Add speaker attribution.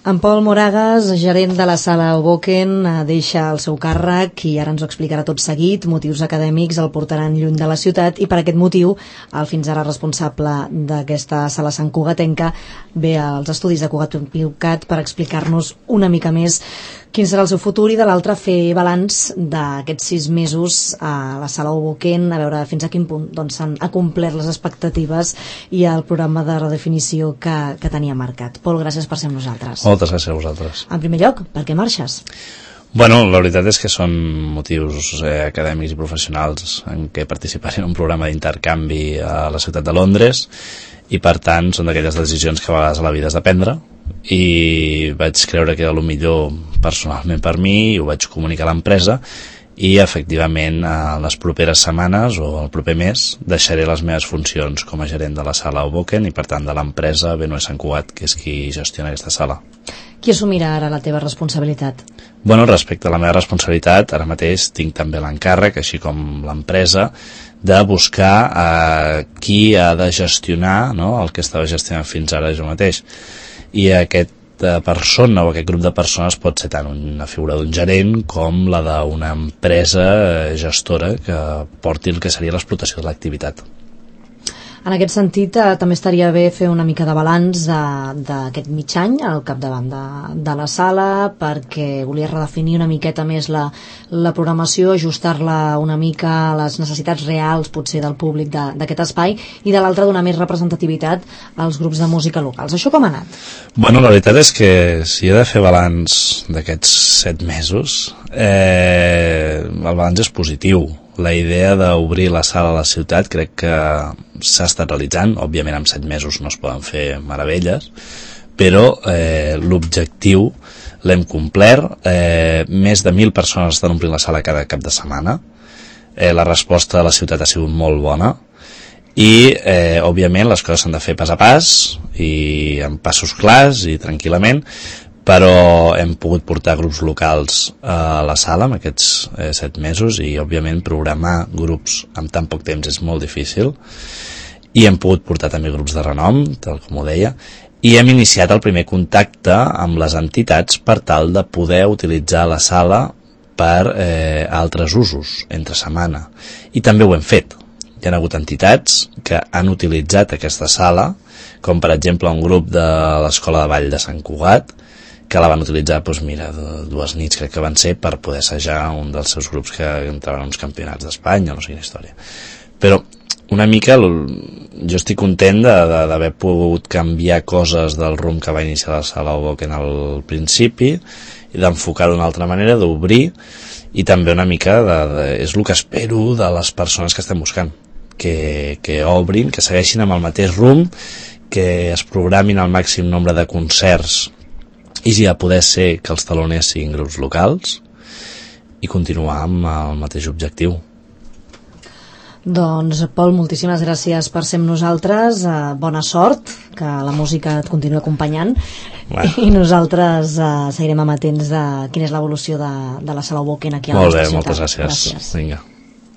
Speaker 1: En Pol Moragas, gerent de la Sala Hoboken, deixa el seu càrrec i ara ens ho explicarà tot seguit. Motius acadèmics el portaran lluny de la ciutat i per aquest motiu el fins ara responsable d'aquesta sala santcugatenca ve als estudis de Cugat Piucat per explicar-nos una mica més quin serà el seu futur i de l'altre fer balanç d'aquests 6 mesos a la Sala Hoboken, a veure fins a quin punt s'han acomplert les expectatives i el programa de redefinició que tenia marcat. Pol, gràcies per ser amb nosaltres.
Speaker 2: Moltes gràcies a vosaltres.
Speaker 1: En primer lloc, per què marxes?
Speaker 2: Bueno, la veritat és que són motius acadèmics i professionals en què participaré en un programa d'intercanvi a la ciutat de Londres i per tant són d'aquelles decisions que a vegades a la vida has de prendre i vaig creure que era el millor personalment per mi i ho vaig comunicar a l'empresa i efectivament en les properes setmanes o el proper mes deixaré les meves funcions com a gerent de la sala Hoboken i per tant de l'empresa B9 Sant Cugat, que és qui gestiona aquesta sala.
Speaker 1: Qui assumirà ara la teva responsabilitat?
Speaker 2: Bueno, respecte a la meva responsabilitat, ara mateix tinc també l'encàrrec, així com l'empresa, de buscar qui ha de gestionar, no?, el que estava gestionant fins ara jo mateix. I aquesta persona o aquest grup de persones pot ser tant una figura d'un gerent com la d'una empresa gestora que porti el que seria l'explotació de l'activitat.
Speaker 1: En aquest sentit, també estaria bé fer una mica de balanç d'aquest mig any al capdavant de la sala, perquè volia redefinir una miqueta més la programació, ajustar-la una mica a les necessitats reals, potser, del públic d'aquest espai, i de l'altra donar més representativitat als grups de música locals. Això com ha anat?
Speaker 2: Bueno, la veritat és que si he de fer balanç d'aquests 7 mesos, el balanç és positiu. La idea d'obrir la sala a la ciutat crec que s'ha estat realitzant. Òbviament en 7 mesos no es poden fer meravelles, però l'objectiu l'hem complert. Més de 1.000 persones estan omplint la sala cada cap de setmana. La resposta de la ciutat ha sigut molt bona i òbviament les coses s'han de fer pas a pas i amb passos clars i tranquil·lament, però hem pogut portar grups locals a la sala en aquests 7 mesos i òbviament programar grups en tan poc temps és molt difícil i hem pogut portar també grups de renom, tal com ho deia, i hem iniciat el primer contacte amb les entitats per tal de poder utilitzar la sala per altres usos entre setmana, i també ho hem fet. Hi ha hagut entitats que han utilitzat aquesta sala, com per exemple un grup de l'Escola de Ball de Sant Cugat, que la van utilitzar, 2 nits crec que van ser, per poder assajar un dels seus grups que entraven a uns campionats d'Espanya, no sé quina història. Però una mica jo estic content d'haver pogut canviar coses del rumb que va iniciar la sala Hoboken al principi i d'enfocar d'una altra manera, d'obrir, i també una mica és el que espero de les persones que estem buscant, que obrin, que segueixin amb el mateix rumb, que es programin el màxim nombre de concerts i si ja poder ser que els taloners siguin grups locals i continuar amb el mateix objectiu.
Speaker 1: Doncs, Pol, moltíssimes gràcies per ser amb nosaltres, bona sort, que la música et continua acompanyant. Bueno. I nosaltres seguirem amatents de quina és l'evolució de la Sala Hoboken aquí a la nostra ciutat.
Speaker 2: Molt bé, moltes gràcies. Vinga.